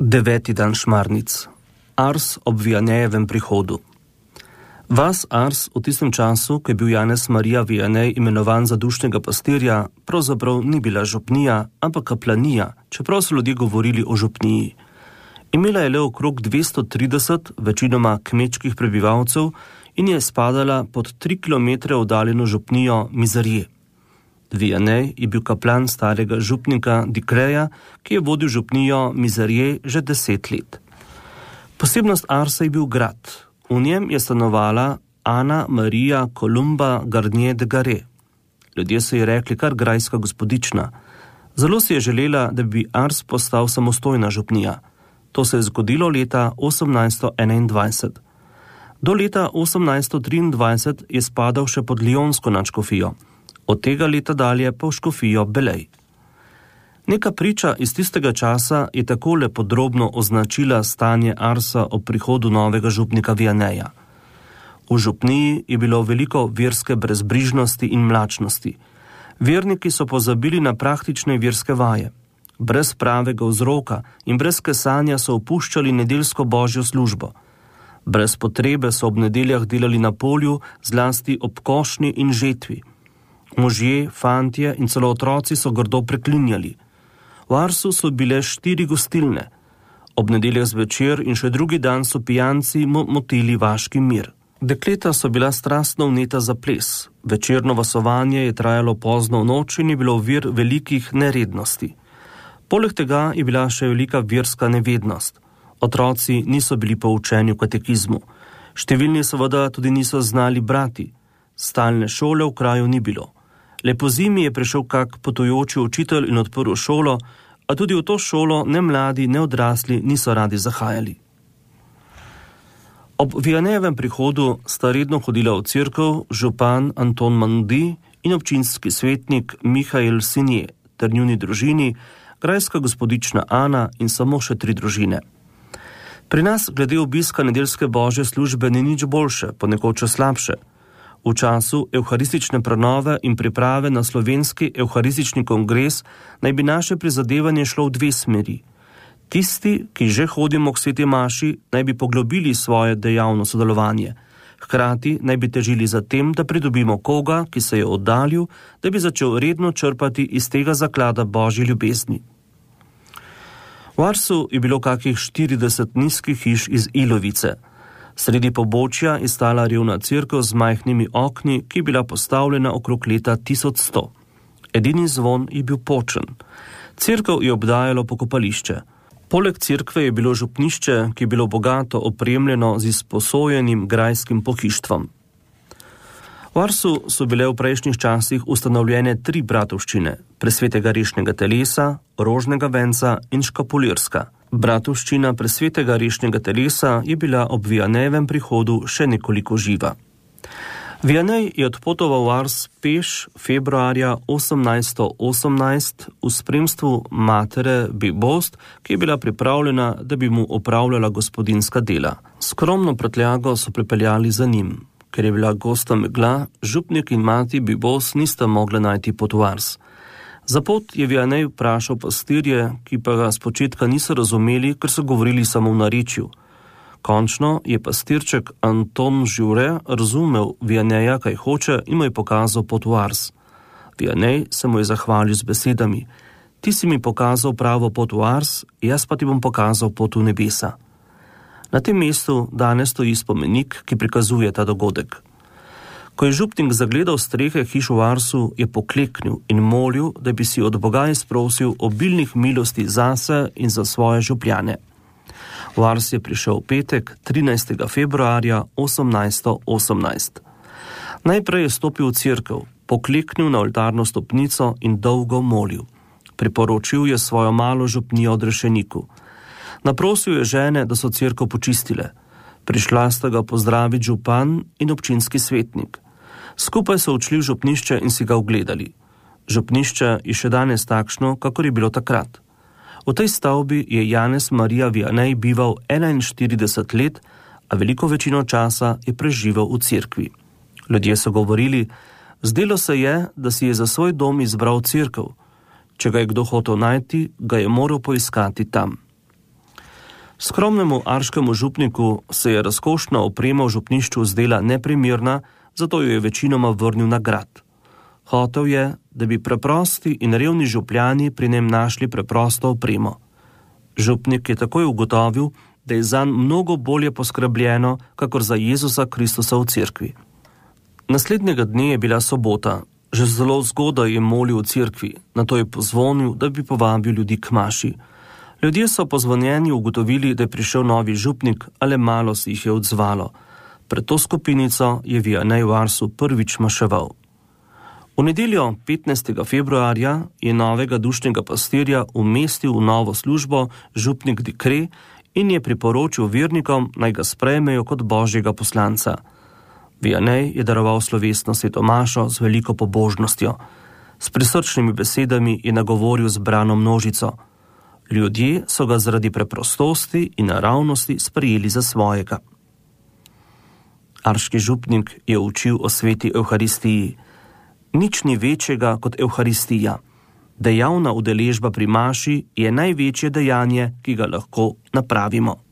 9. dan šmarnic. Ars ob Vianejevem prihodu. Vas Ars v tistem času, ko je bil Janez Marija Vianej imenovan za dušnega pastirja, pravzaprav ni bila župnija, ampak kaplanija, čeprav so ljudje govorili o župniji. Imela je le okrog 230 večinoma kmečkih prebivalcev in je spadala pod 3 kilometre oddaljeno župnijo Mizarje. Vianej je bil kaplan starega župnika Dikreja, ki je vodil župnijo Mizarje že 10 let. Posebnost Arsa je bil grad. V njem je stanovala Ana Marija Kolumba Garnier de Gare. Ljudje so ji rekli kar grajska gospodična. Zelo si je želela, da bi Ars postal samostojna župnija. To se je zgodilo leta 1821. Do leta 1823 je spadal še pod lionsko nadškofijo. Od tega leta dalje pa v škofijo Belej. Neka priča iz tistega časa je takole podrobno označila stanje Arsa ob prihodu novega župnika Vianeja. V župniji je bilo veliko verske brezbrižnosti in mlačnosti. Verniki so pozabili na praktične verske vaje. Brez pravega vzroka in brez kesanja so opuščali nedeljsko božjo službo. Brez potrebe so ob nedeljah delali na polju, zlasti ob košnji in žetvi. Možje, fantje in celo otroci so grdo preklinjali. V Arsu so bile 4 gostilne. Ob nedeljah zvečer in še drugi dan so pijanci motili vaški mir. Dekleta so bila strastno vneta za ples. Večerno vasovanje je trajalo pozno v noč in je bilo vir velikih nerednosti. Poleg tega je bila še velika verska nevednost. Otroci niso bili poučeni v katekizmu. Številni seveda tudi niso znali brati. Stalne šole v kraju ni bilo. Le po zimi je prišel kak potujoči učitelj in odprl šolo, a tudi v to šolo ne mladi, ne odrasli niso radi zahajali. Ob Vianejevem prihodu sta redno hodila v cerkev župan Anton Mandi in občinski svetnik Mihael Sinje ter njuni družini, grajska gospodična Ana in samo še 3 družine. Pri nas glede obiska nedeljske božje službe ni nič boljše, ponekod še slabše. V času evharistične prenove in priprave na slovenski evharistični kongres naj bi naše prizadevanje šlo v 2 smeri. Tisti, ki že hodimo k sveti maši, naj bi poglobili svoje dejavno sodelovanje. Hkrati naj bi težili za tem, da pridobimo koga, ki se je oddaljil, da bi začel redno črpati iz tega zaklada božje ljubezni. V Arsu je bilo kakih 40 nizkih hiš iz ilovice. Sredi pobočja je stala revna cerkev z majhnimi okni, ki je bila postavljena okrog leta 1100. Edini zvon je bil počen. Cerkev je obdajalo pokopališče. Poleg cerkve je bilo župnišče, ki je bilo bogato opremljeno z izposojenim grajskim pohištvom. V Arsu so bile v prejšnjih časih ustanovljene 3 bratovščine, Presvetega rešnega telesa, Rožnega venca in Škapulirska. Bratovščina Presvetega rešnega telesa je bila ob Vianejevem prihodu še nekoliko živa. Vianej je odpotoval v Ars peš februarja 1818 v spremstvu matere Bibost, ki je bila pripravljena, da bi mu opravljala gospodinska dela. Skromno prtljago so pripeljali za njim. Ker je bila gosta megla, župnik in mati Bibost nista mogla najti pot v Ars. Za pot je Vianej vprašal pastirje, ki pa ga spočetka niso razumeli, ker so govorili samo v narečju. Končno je pastirček Anton Žure razumel Vianeja, kaj hoče, in mu je pokazal pot v Ars. Vianej se mu je zahvalil z besedami: "Ti si mi pokazal pravo pot v Ars, jaz pa ti bom pokazal pot v nebesa." Na tem mestu danes stoji spomenik, ki prikazuje ta dogodek. Ko je župnik zagledal strehe hiš v Arsu, je pokleknil in molil, da bi si od Boga izprosil obilnih milosti zase in za svoje župljane. V Ars je prišel petek, 13. februarja 1818. Najprej je stopil v cerkev, pokleknil na oltarno stopnico in dolgo molil. Priporočil je svojo malo župnijo odrešeniku. Naprosil je žene, da so cerkev počistile. Prišla sta ga pozdraviti župan in občinski svetnik. Skupaj so odšli v župnišče in si ga ogledali. Župnišče je še danes takšno, kakor je bilo takrat. V tej stavbi je Janez Marija Vianej bival 41 let, a veliko večino časa je preživel v cerkvi. Ljudje so govorili: zdelo se je, da si je za svoj dom izbral cerkev. Če ga je kdo hotel najti, ga je moral poiskati tam. Skromnemu arškemu župniku se je razkošna oprema v župnišču zdela neprimerna, zato jo je večinoma vrnil na grad. Hotel je, da bi preprosti in revni župljani pri njem našli preprosto opremo. Župnik je takoj ugotovil, da je zanj mnogo bolje poskrbljeno, kakor za Jezusa Kristusa v cerkvi. Naslednjega dne je bila sobota. Že zelo zgodaj je molil v cerkvi, nato je pozvonil, da bi povabil ljudi k maši. Ljudje so po zvonjenju ugotovili, da je prišel novi župnik, ale malo se jih je odzvalo. Pred to skupinico je Vianney v Arsu prvič maševal. V nedeljo 15. februarja je novega dušnega pastirja umestil v novo službo župnik Dikre in je priporočil vernikom, naj ga sprejmejo kot božjega poslanca. Vianney je daroval slovesno sveto mašo z veliko pobožnostjo. S prisrčnimi besedami je nagovoril zbrano množico. Ljudje so ga zaradi preprostosti in naravnosti sprejeli za svojega. Arški župnik je učil o sveti Evharistiji. Nič ni večjega kot Evharistija. Dejavna udeležba pri maši je največje dejanje, ki ga lahko napravimo.